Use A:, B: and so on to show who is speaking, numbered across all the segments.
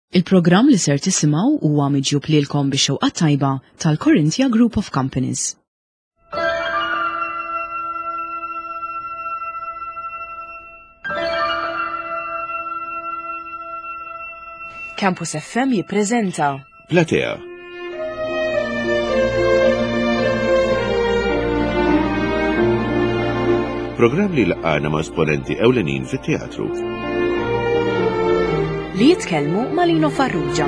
A: Il-programm li ser tisimgħu huwa miġjub lilkom bix-xewqa tajba tal-Corinthia Group of Companies. Campus FM jippreżenta
B: Platea. Programm li laqgħana ma' esponenti ewlenin fit-teatru.
A: Li jitkellmu ma' Lino Farrugia.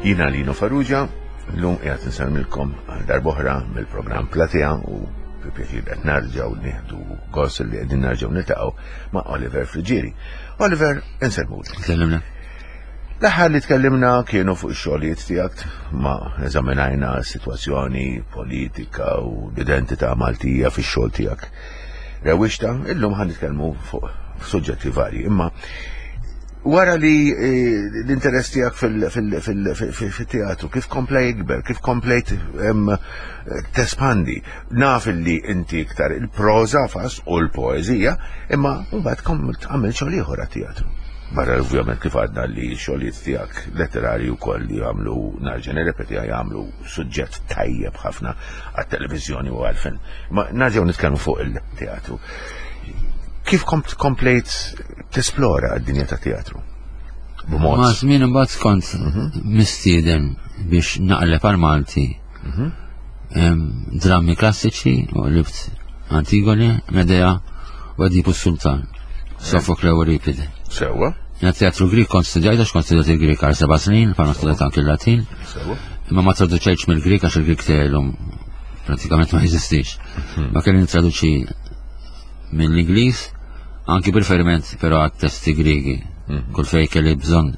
B: Jina Lino Farrugia, l-lum qiegħed nsellmilkom għal darb'oħra mill-programm Platea u fi pjaċir qed narġgħu nieħdu gost li qegħdin narġgħu niltaqgħu ma' Oliver Friggieri. Oliver, insellmulek.
C: Tkellimna.
B: L-aħħar li tkellimna kienu fuq ix-xogħlijiet tiegħek ma eżaminajna s-sitwazzjoni politika u l-identità Maltija fix-xogħol tiegħek. Rewwixta, illum ħan nitkellmu fuq suġġetti varji, imma wara li eh, l-interess tiegħek fil-teatru, kif kompla jikber, kif komplejt tespandi, naf li inti iktar il-proża fas u l-poeżija, imma mbagħad għamilt xogħol ieħor għat-teatru. Barra ovvjament kif għadna li xogħlijiet tiegħek letterari wkoll li jagħmlu narġa' nirrepeti jagħmlu suġġett tajjeb ħafna għat-televiżjoni u għall-film. Ma narġgħu nitkellmu fuq il-teatru. Kif komplejt tesplora d-dinja ta' teatru?
C: B'mod. Ma' żmien imbagħad kont mhm. mistieden biex naqleb għal Malti mhm. drammi klassiċi u libt Antigone, Medea u Edipu Sultan, Sofokle u Euripide.
B: Sewa.
C: Jena teatru Grik kont studjajt għax kont studjajt il-Grik għal seba' snin, pa studjajt anki l-Latin. Imma ma traduċejtx mill-Grik għax il-Grik tiegħi pratikament ma jeżistix. Mhm. Ma kelli nitraduċi mill-Ingliż, anki bil-feriment però għat-testi Grigi. Mhm. Kull fej kelli bżonn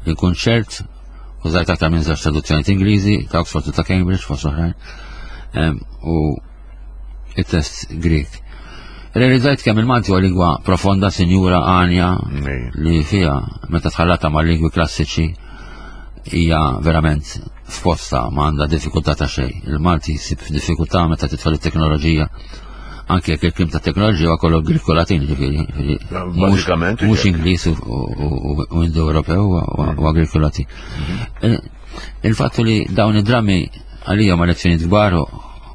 C: li nkun ċert Użajt aktar minn żewġ traduzzjonijiet Ingliżi ta' Oxford u ta' Cambridge fost oħrajn. U it-test Grek. Realizzajt kemm il-Malti huwa lingwa profonda, sinjura, għanja, li fiha meta tħallata ma' lingwi klassiċi hija verament f'posta ma għandha diffikultà ta' xejn. Il-Malti jsib diffikultà meta tidħol it-teknoloġija anke jekk il-klim ta' teknoloġija huwa kollu Grieg u Latin, ġifieri.
B: Bażikament.
C: Mhux Ingliż u Indo-Ewropew huwa Grieg u Latin. Mhm. Il-fattu li dawn id-drammi għalija ma lezzjoni kbar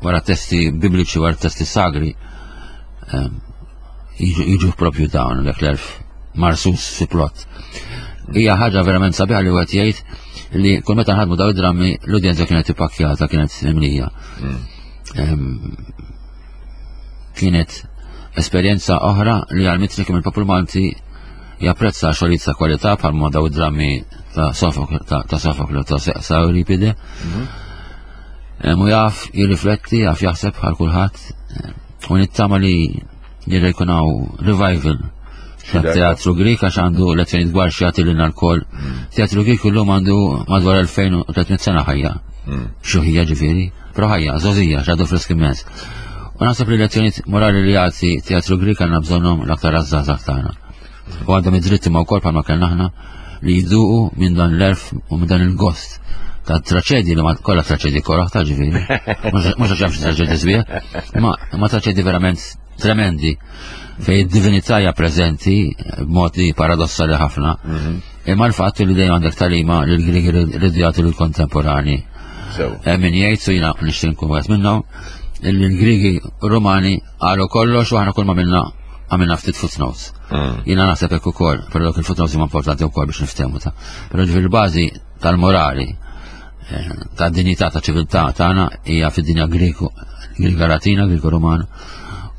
C: wara testi bibliċi wara testi sagri ehm, jiġu propju dawn l l-erf marsus fi plot. Hija ħaġa verament sabiħa li wieħed jgħid li kull meta nħadmu dawn id-drammi l-udjenza kienet ippakkjata, kienet imlija. Mm. Kienet esperjenza oħra li għalmitni kemm il-poplu Malti japprezza xogħlijiet ta' kwalità bħal ma daw id-drammi ta' Sofokle ta' sa' Euripide. Mhm. Mu jaf jirrifletti, jaf jaħseb bħal kulħadd. U nittama li jirra jkun hawn revival teatru Grik għax għandu lezzjoni dwar xi lilna lkoll. Mm. Teatru Grik illum għandu madwar 2300 sena ħajja. Mm. Xuħija ġifieri, però ħajja, żożija, x'għadu frisk immens. U naħseb li lezzjonijiet morali li jagħti teatru Grik għandna bżonnhom l-aktar għaż-żgħażagħ tagħna. U għandhom id-dritt imma wkoll bħalma kellna aħna li jduqu minn dan l-erf u minn dan il-gost ta' traċedji li ma kollha traċedji koraħ ta' ġifieri. Mhux għax hemm xi traċedji sbieħ, ma traċedji verament tremendi fej id-divinità hija preżenti b'mod li paradossali ħafna. Mhm. Imma l-fatt li dejjem għandek talima li l-Griegi rridu jagħtu lill-kontemporani. Min jgħid su jiena nixtieq nkun wieħed minnhom li l-Griegi Rumani qalu kollox u aħna kull ma minna għamilna ftit footnotes. Mm. Jiena naħseb hekk ukoll, però dawk il-footnotes huma importanti wkoll biex niftehmu ta'. Però ġifieri l-bażi tal-morali eh, ta' dinjità ta' ċiviltà tagħna hija fid-dinja Griegu, Griega Latina, Griegu Romana.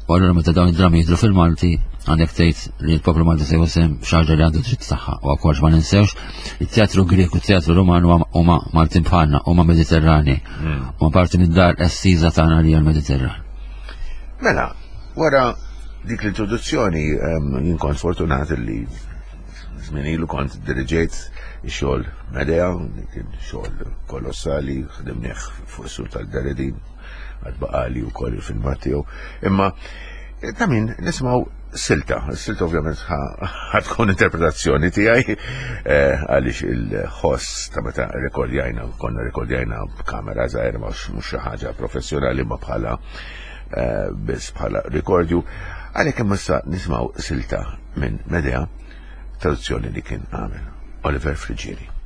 C: U allura meta dawn id-drammi jidhru fil-Malti, għandek tgħid li l-poplu Malti se jħossem xi li għandu dritt tagħha. U għakolx ma ninsewx, it-teatru Grieg u t-teatru Roman huma Maltin bħalna, huma Mediterrani. Hmm. Huma parti mid-dar estiża tagħna li hija l-Mediterran.
B: Mela, wara dik l-introduzzjoni jien kont fortunat li żmien ilu kont diriġejt ix-xogħol Medea, kien xogħol kolossali, ħdimnieh fuq sur tal-Deredin, għad baqali wkoll il-filmat tiegħu. Imma. Ta' min nisimgħu silta. Silta ovvjament ħatkun interpretazzjoni tiegħi eh, għaliex il-ħoss ta' meta rekordjajna, konna rekordjajna b'kamera żgħira mhux xi ħaġa professjonali ma bħala eh, biss bħala rekordju. Għalhekk imma issa nisimgħu silta minn Medea, traduzzjoni li kien għamel Oliver Friggieri.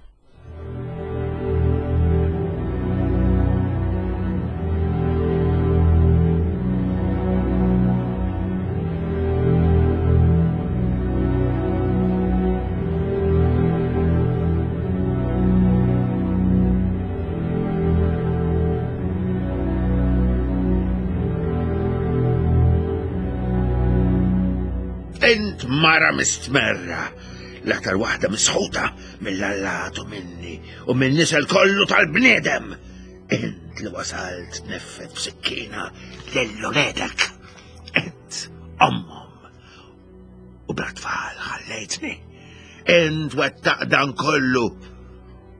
D: Int mara mistmerra, l-aktar waħda misħuta mill-allat u minni u minn nisel kollu tal-bniedem. Int li wasalt neffet b'sikkina lil uliedek. Int ommhom u bla tfal ħallejtni. Int wettaq dan kollu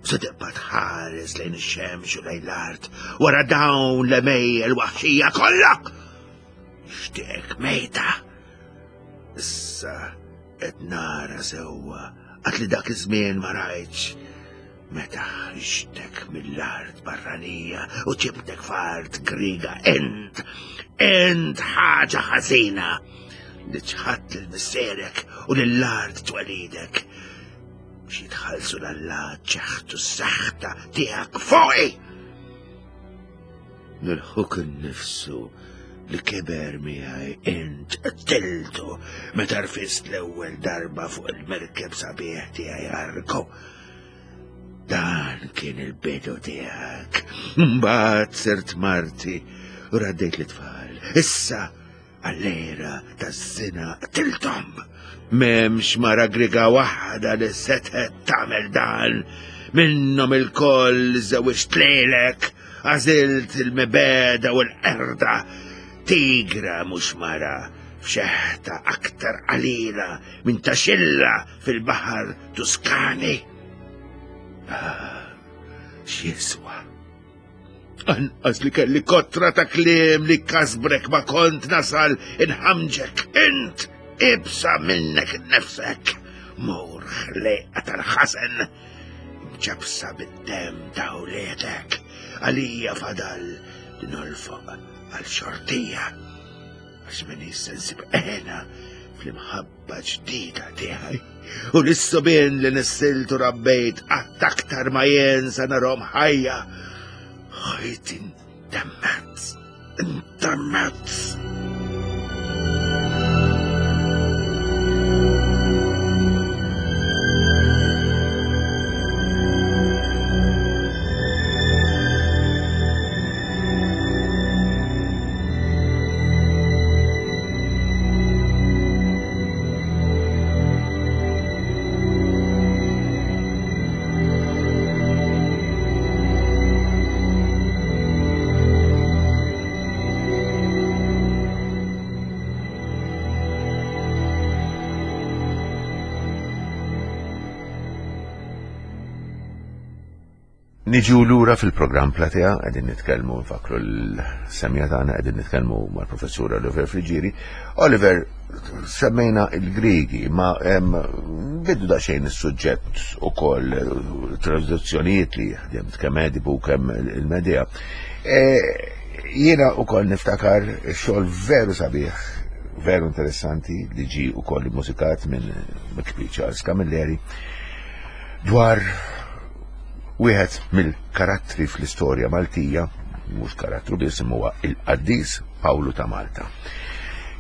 D: se tibqa' tħares lejn ix-xemx u lejn l-art wara dawn l-emejjel waħxija kollha. Xtieq mejta. Issa Qed nara sewwa għad li dak iż-żmien ma rajtx. Meta ħriġtek mill-art barranija u ġibtek f'art Griega int, int ħaġa ħażina li ċħadt lil missierek u lill-art twelidek. Biex jitħallsu l-allat ċeħtu s-saħta tiegħek fuqi! Lil ħuk innifsu li kiber miegħi int qtiltu meta rfist l-ewwel darba fuq il-merkeb sabiħ tiegħi Arko. Dan kien il-bidu tiegħek. Mbagħad sirt marti u raddejt l-itfal. Issa Għall-għira taż-żina qtilthom. M'hemmx mara Griega waħda li setgħet tagħmel dan. Minnhom ilkoll żewwiġt lilek, għażilt il-mibegħda u l-qerda. Tigra mhux mara, f'xeħta aktar qalila minn ta' xilla fil-baħar Tuskani. Ah, x'jiswa? Anqas li kelli kotra ta' kliem li kasbrek ma kont nasal inħamġek int ibsa minnek nefsek. Mur ħlejqa tal-ħasen ġabsa bid-dem ta' uliedek għalija fadal li nolfoq għal xortija. Għax min sensib ena fl-imħabba ġdida tiegħi. U lis-subien li nissiltu rabbejt qatt aktar ma jien sa narhom ħajja. Ħajti ntemmet, intemmet.
B: Niġu lura fil-programm Platea, qegħdin nitkellmu nfakru l-semja tagħna qegħdin nitkellmu mal-professur Oliver Friġieri. Oliver, semmejna il-Griegi, ma biddu daqsxejn is-suġġett ukoll traduzzjonijiet li ħdimt kemm Edipu kemm il-Medea. E, jiena ukoll niftakar xogħol veru sabiħ, veru interessanti li ġi ukoll mużikat minn Kbir Charles Camilleri dwar Wieħed mill-karattri fl-istorja Maltija, mhux karattru biss imma huwa il-qaddis Pawlu ta' Malta.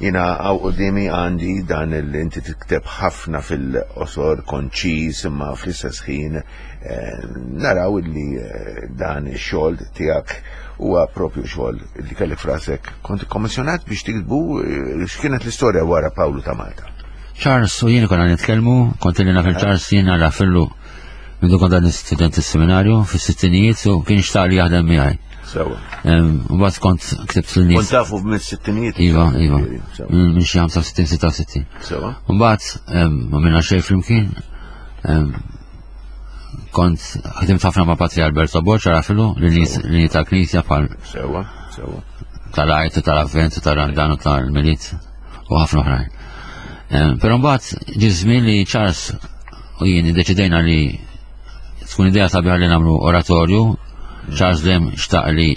B: Jina għaw qoddimi għandi dan il inti tikteb ħafna fil-qosor konċiż imma fl-istess ħin eh, naraw illi eh, dan ix-xogħol tiegħek huwa propju xogħol li kellek frasek. Kont kommissjonat biex tiktbu eh, x'kienet l-istorja wara Pawlu ta' Malta.
C: Charles u jien konna nitkellmu, kont li naf il-Charles jien għara fillu Mindu kont għadni student is-seminarju fis-sittinijiet u kien xtaq li jaħdem miegħi.
B: Sewa.
C: U mbagħad kont ktibt lin nies.
B: Kont tafu mis-sittinijiet?
C: Iva, iva. Minn xi 65, 66.
B: Sewa.
C: U mbagħad ma minna xejn flimkien. Kont ħdimt ħafna ma' Patri Alberto Borġ għarafilu l-nies tal-Knisja bħal.
B: Sewa, sewa.
C: Tal-Għajt, tal-Avvent, tal-Randan u tal-Milied. u ħafna oħrajn. Però mbagħad ġie żmien li Charles u jien iddeċidejna li tkun idea sabiħa li nagħmlu oratorju. Charles dejjem xtaq li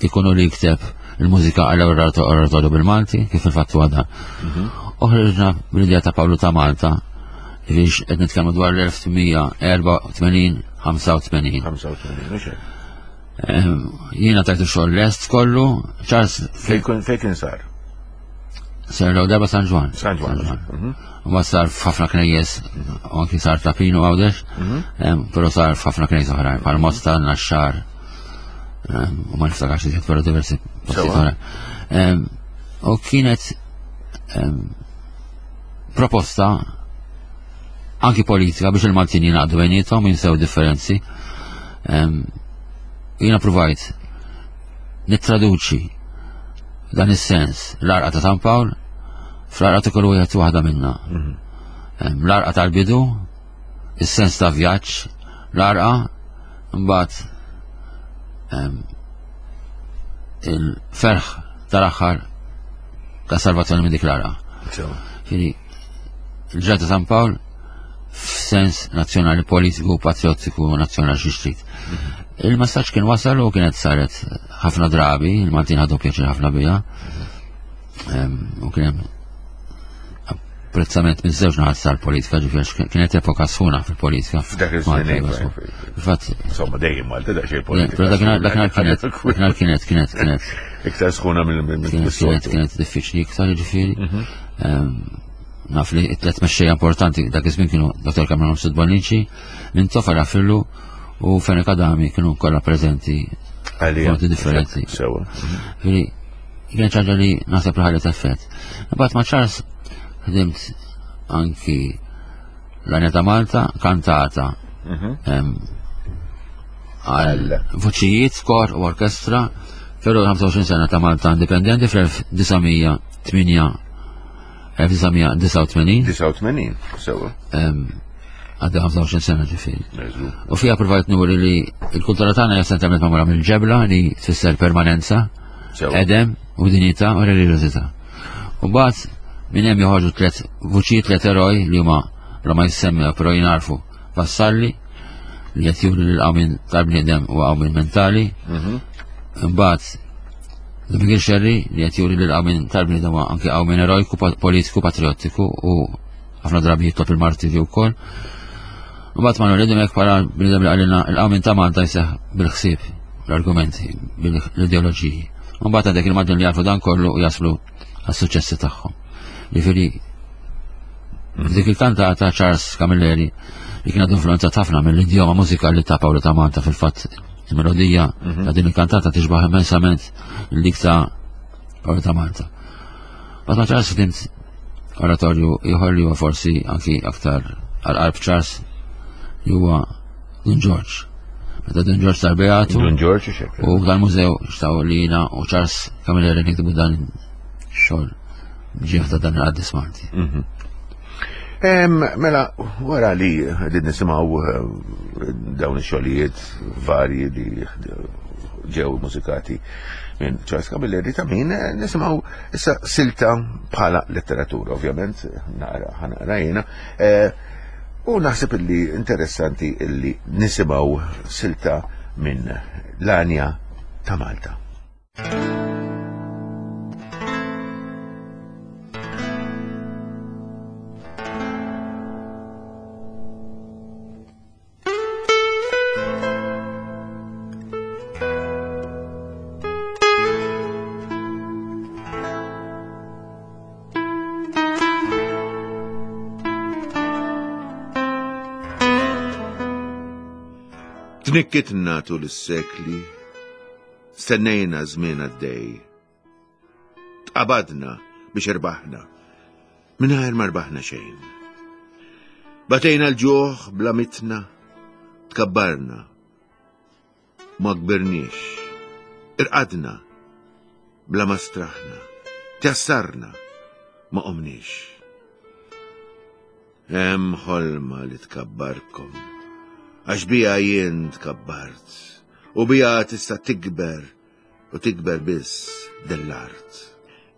C: ikunu li jikteb il-mużika għal oratorju bil-Malti, kif il-fatt huwa dan. U ħriġna bl-idea ta' Pawlu ta' Malta, biex qed nitkellmu dwar l-1884 85.
B: 85, mhux hekk.
C: Jiena tajtu xogħol lest kollu, Charles
B: Fejn kien sar?
C: Sar l darba San Ġwann.
B: San Ġwann.
C: Ma sar f'ħafna knejjes, u anki sar ta' Pinu Għawdex, però sar f'ħafna knejjes oħrajn, bħal Mosta, Naxxar, u ma niftakarx iżjed, però diversi postijiet oħrajn. U kienet proposta anki politika biex il-Maltin jingħaqdu bejniethom jinsew differenzi. Jiena provajt nittraduċi dan is-sens l-arqa ta' San Pawl fl-arqa ta' kull wieħed waħda minna. L-arqa tal-bidu, is-sens ta' vjaġġ, l-arqa, mbagħad il-ferħ tal-aħħar ta' salvazzjoni minn dik l-arqa. Ġifieri, il-ġrata ta' San Pawl f'sens nazzjonali politiku, patriottiku, nazzjonali xi trid. Il-messaġġ kien wasal u kienet saret ħafna drabi, il-Maltin ħadu pjaċir ħafna biha. U kien hemm apprezzament minn żewġ naħat tal-politika, ġifieri kienet epoka sħuna fil-politika.
B: F'dak iż-żmien.
C: Fatt.
B: Insomma, dejjem Malta daqsxejn politika.
C: Però dakinhar kienet dakinhar kienet kienet kienet
B: iktar sħuna mill
C: kienet diffiċli iktar ġifieri. Naf li t-tlet mexxejja importanti dak iż-żmien kienu Dr. Cameron Mifsud Bonnici, Mintoff Rafillu u Fenech Adami kienu kollha preżenti
B: f'modi
C: differenti. Ġifieri kien ċaġa li naħseb li ħallet effett. Imbagħad ma' Charles ħdimt anki l-Għanja ta' Malta kantata għal vuċijiet, kor u orkestra, però 25 sena ta' Malta indipendenti fl-1989.
B: 89, sewa.
C: Għadda 25 sena ġifieri. U fija provajt nuri li l-kultura tagħna hija essenzjalment magħmula mill-ġebla li tfisser permanenza, edem u dinjità u reliġjożità. U mbagħad minn hemm joħorġu tliet vuċijiet tliet eroj li huma bla ma jissemmew però jinarfu Vassalli li qed juri lil qawmien tal-bniedem u qawmien mentali. Imbagħad Miguel Scerri li qed juri lil qawmien tal-bniedem huwa anke qawmien erojku, politiku, patriottiku u ħafna drabi jitlob il-martirju wkoll. Imbagħad Manuel Dimech bħala bniedem li qalilna il-qawmien ta' Malta jseħħ bil-ħsieb, l-argumenti, bil-ideoloġiji. Imbagħad għandek il-Maltin li jafu dan kollu u jaslu għas-suċċessi tagħhom. Jiġifieri dik il-kantata Charles Camilleri li kienet influenzat ħafna mill-idjoma mużikali ta' Paolo ta' Malta fil-fatt il-melodija ta' din il-kantata tixbaħ immensament dik ta' Paolo ta' Malta. Bat ma' Charles ħdimt oratorju ieħor li huwa forsi anki aktar għal-qalb Charles li huwa Dun George. Meta Dun George sar beatu.
B: Dun George xek.
C: U dal-mużew xtaw li jiena u Charles Camilleri niktibu dan xogħol ġieħ ta' dan il-qaddis Malti.
B: Mela, wara li qegħdin nisimgħu dawn ix-xogħlijiet varji li ġew mużikati minn Charles Camilleri ta' min nisimgħu issa silta bħala letteratura, ovvjament, naqra ħanaqra jiena. U naħseb illi interessanti illi nisimgħu silta minn l-Għanja ta' Malta. Tnikkitna tul is-sekli, stennejna żmien għaddej. Tqabadna biex irbaħna, mingħajr ma rbaħna xejn. Batejna l-ġuħ bla mitna, tkabbarna, ma kbirniex. Irqadna, bla ma straħna, tjassarna, ma qomniex. Hemm ħolma li tkabbarkom, għax bija jien tkabbart, u bija tista' tikber u tikber biss dell-art.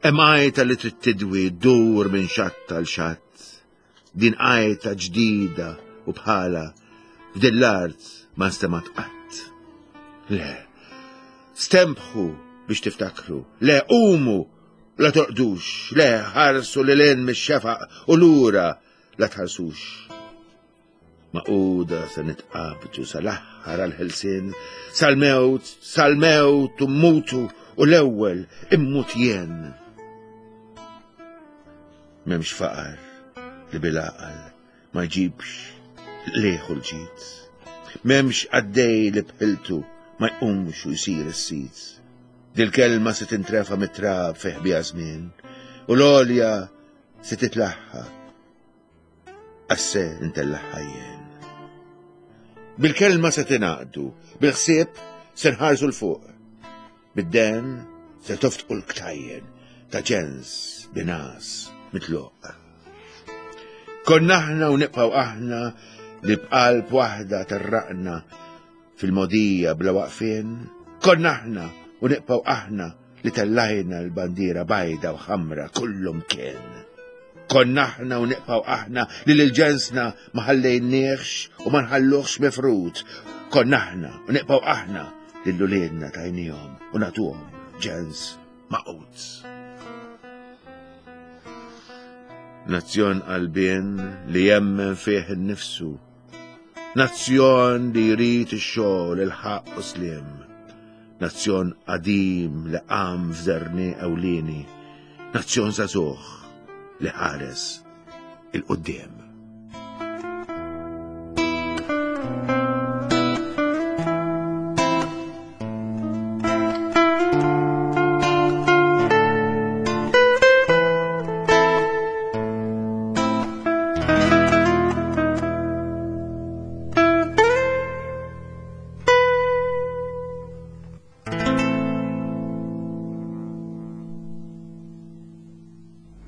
D: Hemm għajta li trid tidwi ddur minn xatt għal xatt. Din għajta ġdida u bħala f'din l-art ma nstemat qatt. Le, stembħu biex tiftakru, le qumu la torqdux, le ħarsu lil hinn mix-xefaq u lura la tħarsux. Maquda se nitqabdu sal-aħħar għall-ħelsien, sal-mewt, sal-mewt u mmutu u l-ewwel immut jien. M'hemmx faqar li bil-għaqal ma jġibx l-qligħ u l-ġid. M'hemmx qaddej li b'ħiltu ma jqumx u jsir is-sid. Dil-kelma se tintrefa' mit-trab fi ħbiha żmien u l-għolja se titlaħħa Għax se ntellagħha jien. Bil-kelma se tingħaqdu, bil-ħsieb se nħarsu 'l fuq. Bid-demm se toftqu l-ktajjen ta' ġens bingħas mitluq. Konna aħna u nibqgħu aħna li b'qalb waħda terraqna fil-mogħdija bla waqfien. Konna aħna u nibqgħu aħna li tellajna l-bandiera bajda u ħamra kullum kien. Konna aħna u nibqgħu aħna li lil ġensna ma ħallejniehx u ma nħalluhx mifrud. Konna aħna u nibqgħu aħna li l-uliedna tajnihom u nagħtuhom ġens maqut. Nazzjon qalbien li jemmen fih innifsu. Nazzjon li jrid ix-xogħol, il-ħaqq u sliem. Nazzjon qadim li qam f'żerniq ewlieni. Nazzjon żagħżugħ li ħares 'il quddiem.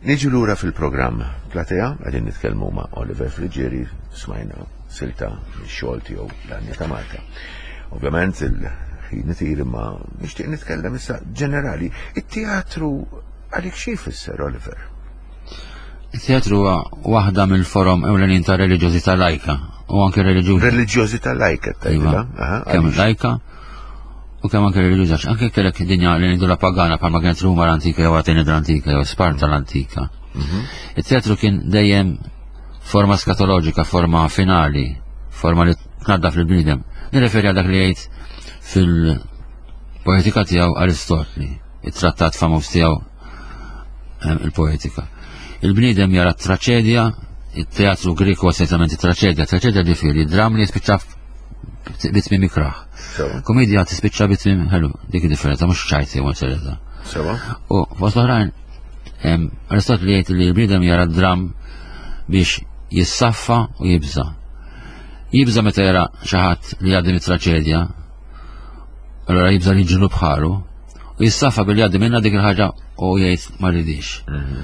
D: Niġu lura fil-programm Platea, għadin nitkellmu ma' Oliver Friggieri, smajna silta xogħol tiegħu l-Anja ta' Malta. Ovvjament il-ħin itir imma nixtieq nitkellem issa ġenerali. It-teatru għalik xi jfisser Oliver?
C: Il-teatru huwa waħda mill-forom ewlenin ta' reliġjożità lajka u anke reliġjuża.
B: Reliġjożità lajka
C: tajba. Iva. Kemm lajka u kemm anke reliġjuża. Anke kellek dinja li ngħidu la pagana bħalma kienet Ruma l-antika jew Atene l-antika jew Sparta l-antika. Mhm. Il-teatru kien dejjem forma skatoloġika, forma finali, forma li tnaddaf lill-bniedem. Nirreferi għal dak li jgħid fil-poetika tiegħu Aristotli, it-trattat famuż tiegħu il-poetika. Il-bniedem jara traċedja, il-teatru Griku essenzjalment traċedja, traċedja ġifieri, dram li jispiċċa bitmim ikraħ. Komedja tispiċċa bitmim ħelu, dik differenza, mhux ċajti jew serjetà. U fost oħrajn, Aristotli jgħid li l-bniedem jara dram biex jissaffa u jibża. Jibża meta jara xi ħadd li jgħaddi mit-traċedja, allora jibża li ġinu bħalu, u jissafa billi jgħaddi minna dik il-ħaġa u jgħid ma rridix. Mhm.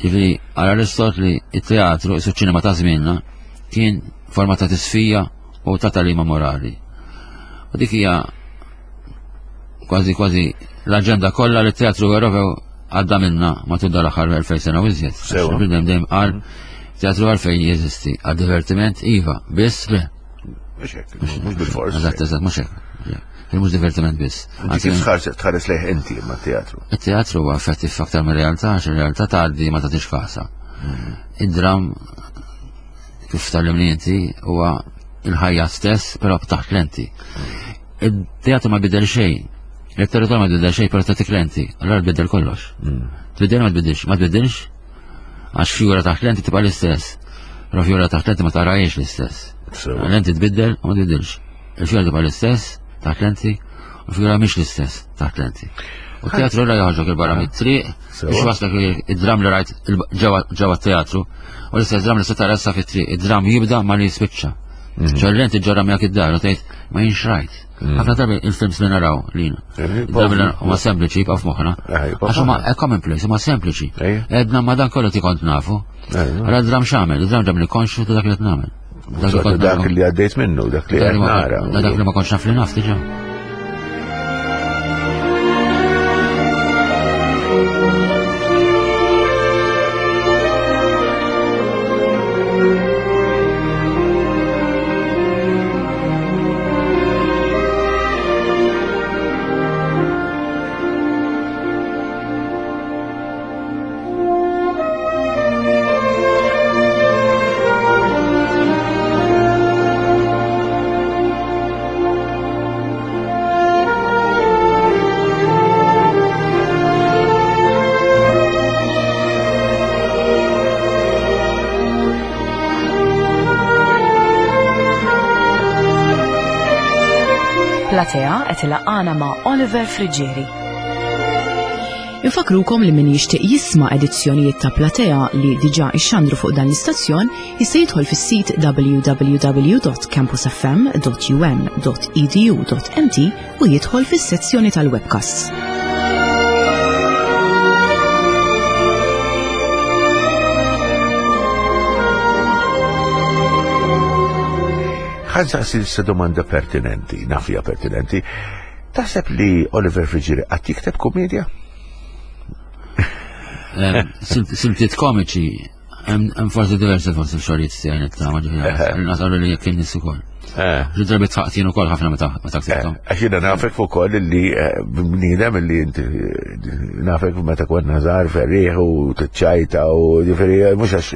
C: Ġifieri għal Aristotli it-teatru isu ċinema ta' żmienna kien forma ta' tisfija u ta' talima morali. U dik hija kważi kważi l-aġenda kollha li t-teatru Ewropew għadda minna matul dal-aħħar 2000 sena u iżjed. Bidem dejjem qal mhm. teatru għalfejn jeżisti, għad divertiment iva, biss le.
B: Mhux hekk, mhux bil-fors.
C: Eżatt, eżatt, mhux hekk. Mhux divertiment biss.
B: Kif tħares tħares lejh inti ma' teatru?
C: Il-teatru huwa effettiv aktar mir-realtà, għax ir-realtà tgħaddi ma tagħtix kasa. Hmm. Id-dram kif tallimni inti huwa il-ħajja stess, però taħt lenti. Il-teatru ma bidel xejn. Il-teatru ma bidel xejn, però tagħtik lenti. Allora tbiddel kollox. Hmm. Tbiddel ma tbiddilx, ma tbiddilx għax fjura taħt lenti tibqa' l-istess. Però fjura taħt lenti ma tarajiex l-istess. Lenti tbiddel u ma tbiddilx. Il-fjura tibqa' l-istess taħt lenti u l-fjura mhix l-istess taħt lenti. U teatru la joħorġok il-barra mit-triq, biex waslek id-dram li rajt ġewwa teatru, u l-istess dram li se tara issa fit-triq, id-dram jibda ma li jispiċċa. Mhm. ċe l-lenti ġorra miegħek id-dar u tgħid ma jinx rajt. Mhm. Ħafna drabi il-films li naraw lina. Eh, Drabi li huma sempliċi jibqgħu f'moħħna. Eh, Għax huma commonplace, huma sempliċi. Edna ma dan kollu ti kont nafu. Għara dram x'għamel, dram ġamli konxu ta' dak li qed nagħmel.
B: Dak li għaddejt minnu, dak li qed nara.
C: Dak li ma kontx naf li naf diġà.
A: Platea qed ilaqqana ma' Oliver Friggieri. Infakrukom li min jixtieq jisma' edizzjonijiet ta' Platea li diġà ixxandru fuq dan l-istazzjon jista' jidħol fis-sit www.campusfm.um.edu.mt u jidħol fis-sezzjoni tal-webcasts.
B: Ħa nsaqsi issa domanda pertinenti, naf hija pertinenti. Taħseb li Oliver Friggieri qatt jikteb komedja?
C: Siltiet komiċi Hemm forsi diversi forsi xogħlijiet tiegħi nittama ġifieri. Naqalu li kien nies ukoll. Xi drabi tħaqt jien ukoll ħafna meta meta ktibthom.
B: Għax jiena nafek ukoll li bniedem li inti nafek meta konna żgħar ferrieħ u tiċċajta u ġifieri mhux għax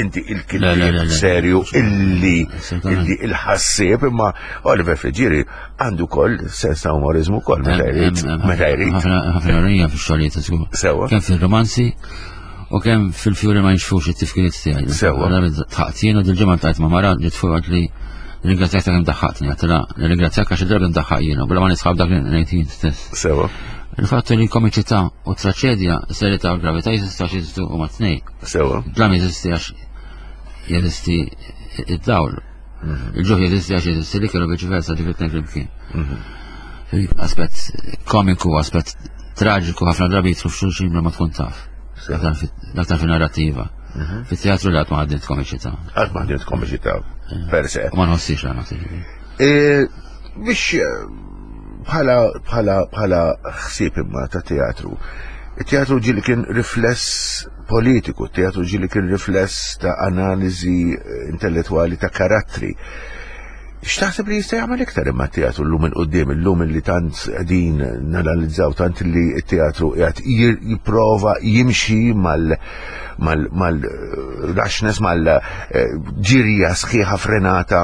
B: inti il-kittieb serju illi illi il-ħassieb imma Oliver Friggieri għandu koll sens ta' umorizmu koll meta jrid meta jrid.
C: Ħafna ironija fix-xogħlijiet żgur.
B: Sewwa.
C: Kemm fir-romanzi u kemm fil-fjuri ma jinxfux it-tifkiriet tiegħi.
B: Sewwa.
C: Tħaqt jien u dil-ġimgħa tajt ma' mara ġiet fuq li ringrazzjak ta' kemm daħħaqtni, għatila ringrazzjak għax id-drabi ndaħħaq jiena, bla ma nisħab dak li ngħid jien stess.
B: Sewwa.
C: Il-fatt li komiċità u traċedja, serjetà u gravità jeżistu għax jeżistu huma tnej.
B: Sewwa.
C: Dlam jeżisti għax jeżisti id-dawl. Mhm. Il-ġuħ jeżisti għax jeżisti li kienu viċi versa ġifieri tnejn flimkien. Mhm. Aspett komiku, aspett traġiku ħafna drabi jitlu f'xulxin bla ma tkun taf. L-aktar fin-narrattiva. Mhm. Fit-teatru li għad ma ħaddimt komiċità.
B: Għad ma ħaddimt komiċità, eh. per se.
C: Ma nħossix għana
B: e, biex eh, bħala bħala bħala ħsieb imma ta' teatru. Il-teatru ġili kien rifless politiku, teatru ġili kien rifless ta' analiżi eh, intellettwali ta' karattri. X'taħseb li jista' jagħmel iktar imma t-teatru llum il quddiem illum li tant qegħdin nanalizzaw tant li t-teatru qiegħed jipprova jimxi mal mal-rashness mal-ġirja sħiħa frenata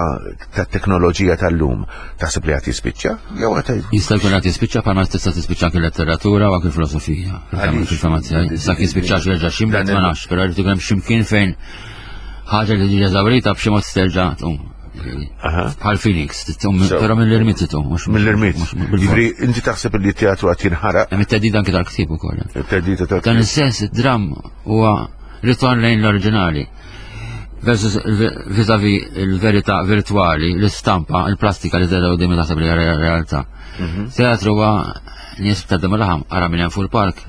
B: tat-teknoloġija tal-lum. Taħseb li qed jispiċċa? Jew qed
C: Jista' jkun qed jispiċċa bħalma tista' tispiċċa anke letteratura u anke filosofija. Fil-fema tiegħi. Sa jispiċċax jerġa' x'imkien ma nafx, però jrid ikun hemm x'imkien fejn ħaġa li tiġi eżawrita b'xi mod terġa' tqum. Bħal Phoenix, però mill-irmit tqum.
B: Mill-irmit. Ġifieri inti taħseb li t-teatru qed jinħaraq?
C: Hemm it-teddida anke tal-ktieb ukoll.
B: It-teddida tal
C: Dan is-sens id-dramm huwa ritorn lejn l-oriġinali. Versus vis-a-vis il-verità virtwali, l-istampa, il-plastika li tedha quddiem taħseb li hija realtà. Mhm. Teatru huwa nies ta' dem laħam, ara minn hemm fuq il-park,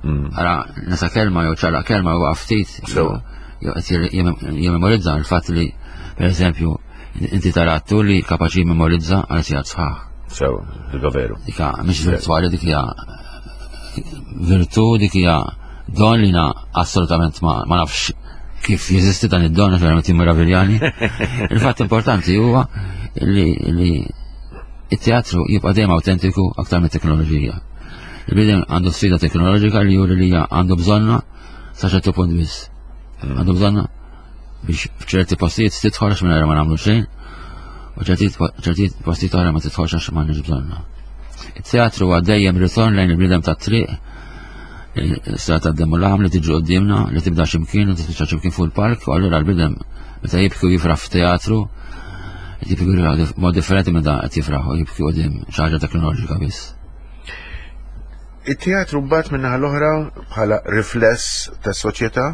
C: mm. ara nesa kelma jew ċaraq kelma jew ftit. Jew qed jimmemorizza l-fatt li, per eżempju, inti tara attur li kapaċi jimmemorizza għal sigħat sħaħ.
B: Sew, dik veru.
C: Dika mhix virtwali dik hija virtu dik hija don li na assolutament ma, ma nafx kif jeżisti dan id-don għax verament jimmeraviljani. Il-fatt importanti huwa li, li it-teatru jibqa' dejjem autentiku aktar mit-teknoloġija. Il-bniedem għandu sfida teknoloġika li juri li għandu bżonna sa ċertu punt biss. Għandu bżonna biex f'ċerti postijiet tidħol għax mingħajr ma nagħmlu xejn u ċerti postijiet oħra ma tidħolx għax m'għandniex bżonna. Il-teatru huwa dejjem ritorn lejn il-bniedem tat-triq, s-sra ta' demmu laħam li tiġi qudiemna, li tibda x'imkien u tispiċċa x'imkien fuq il-park, u allura l-bniedem meta jibki u jifraħ f'teatru, jibki mod differenti meta qed jifraħ u jibki qudiem xi ħaġa teknoloġika biss.
B: It-teatru mbagħad min-naħa l-oħra bħala rifless tas-soċjetà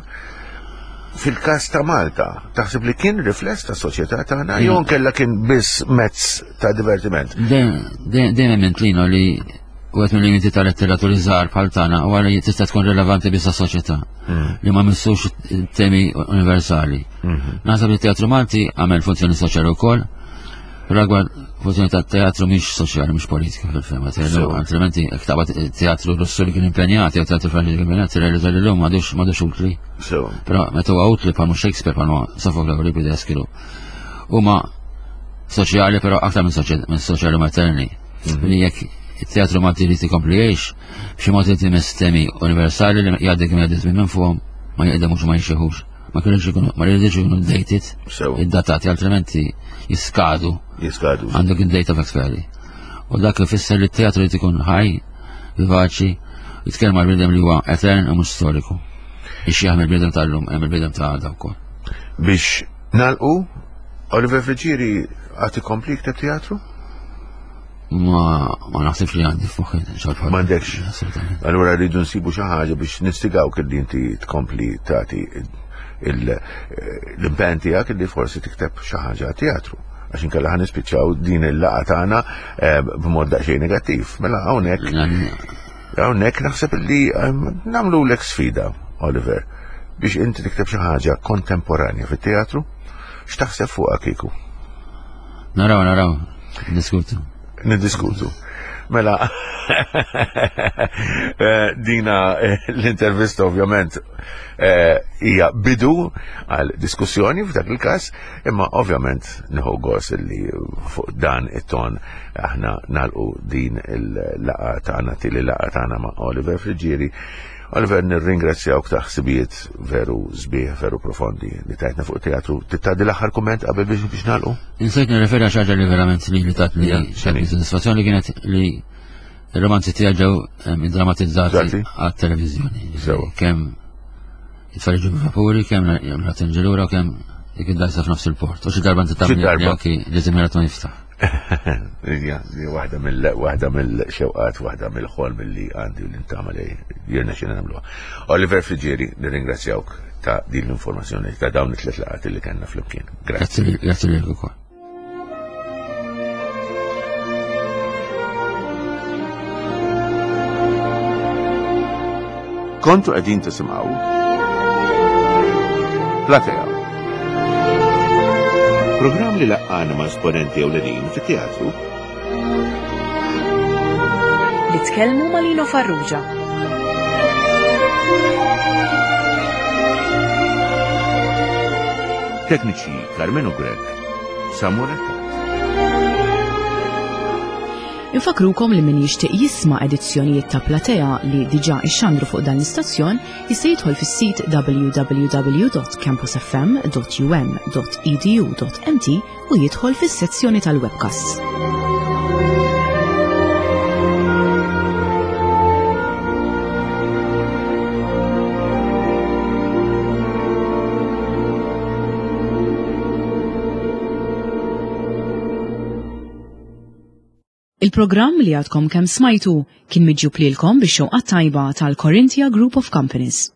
B: fil-każ ta' Malta, taħseb li kien rifless tas-soċjetà tagħna jew nkella kien biss mezz ta' divertiment?
C: Dejjem emmint lino li wieħed mill-limiti ta' letteraturi żgħar bħal tagħna huwa li tista' tkun rilevanti biss għas-soċjetà mm. li ma missux temi universali. Mm-hmm. Naħseb li teatru Malti għamel funzjoni soċjali wkoll, Ragwar funzjoni ta' teatru mhix soċjali, mhix politika fil-fema tiegħu. Altrimenti jekk taqbad teatru Russu li kien impenjat jew teatru Franċiż li kien impenjat, tirrealizza li llum m'għadux m'għadux utli. Però meta huwa utli bħal Shakespeare bħal Sofocle u Euripides kienu huma soċjali però aktar minn soċjali materni. Mhm. Li jekk it-teatru Malti li tikompli jgħix, b'xi mod li timiss temi universali li jgħaddi kemm jgħaddi minn fuqhom ma jqedemux ma jxieħux. ma kienux ikunu, ma rridux ikunu dated, id-datati, altrimenti jiskadu.
B: Jiskadu.
C: Għandek id-date of expiry. U dak ifisser li t-teatru li ikun ħaj, vivaċi, jitkellem għal bniedem li huwa etern u mhux storiku. Ixjaħ mill-bniedem tal-lum, hemm il-bniedem ta' għada wkoll.
B: Biex nalqu, Oliver Friggieri għad ikompli jikteb teatru?
C: Ma ma naħsibx li għandi f'moħħi xogħol bħal.
B: M'għandekx. Allura rridu nsibu xi ħaġa biex nistigaw li inti tkompli tagħti l-impenn tiegħek li forsi tikteb xi ħaġa teatru għax inkella ħan nispiċċaw din il-laqa tagħna eh, b'mod daqsxejn negattiv. Mela hawnhekk hawnhekk naħseb li eh, nagħmlu lek sfida, Oliver, biex inti tikteb xi ħaġa kontemporanja fit-teatru, x'taħseb fuqha kieku?
C: Naraw, naraw, diskutu.
B: Niddiskutu. Mela, eh, dina eh, l-intervista ovvjament eh, hija bidu għal diskussjoni f'dak il-każ, imma ovvjament nieħu gost li fuq dan it-ton aħna nalqu din il-laqa tagħna tili laqa tagħna ma' Oliver Friġieri. Oliver, nirringrazzjawk ta' ħsibijiet veru sbieħ, veru profondi li tajtna fuq teatru. Tittadi l-aħħar kumment qabel biex biex nagħlqu?
C: Insejt nirreferi għal ħaġa li verament li li tatni xejn soddisfazzjoni kienet li r-romanzi tiegħi ġew drammatizzati għat-televiżjoni. Kemm it-tfal ġew vapuri, kemm la tinġilura, kemm dik id-dajsa f'nofs il-port. U xi darba inti tagħmel anki li żimierat ma jiftaħ.
B: Ija, waħda mill waħda mill-xewqat, waħda mill-ħolm li għandi u li ntama li jirna xina nagħmluha. Oliver Friġieri, nirringrazzjawk ta' din l-informazzjoni ta' dawn it-tliet laqgħat li kellna flimkien.
C: Grazzi. Grazzi lilek ukoll.
B: Kontu qegħdin tisimgħu Platea. Programm li laqqana ma' esponenti ewlenin fit-teatru.
A: Li tkellmu ma' Lino Farrugia.
B: Tekniċi Carmenu Grech, Samuel
A: Infakrukom li min jixtieq jisma' edizzjonijiet ta' Platea li diġà ixxandru fuq dan l-istazzjon jista' jidħol fis-sit www.campusfm.um.edu.mt u jidħol fis-sezzjoni tal-webcasts. Il-programm li għadkom kemm smajtu kien miġjub lilkom bix-xewqa tajba tal-Corinthia Group of Companies.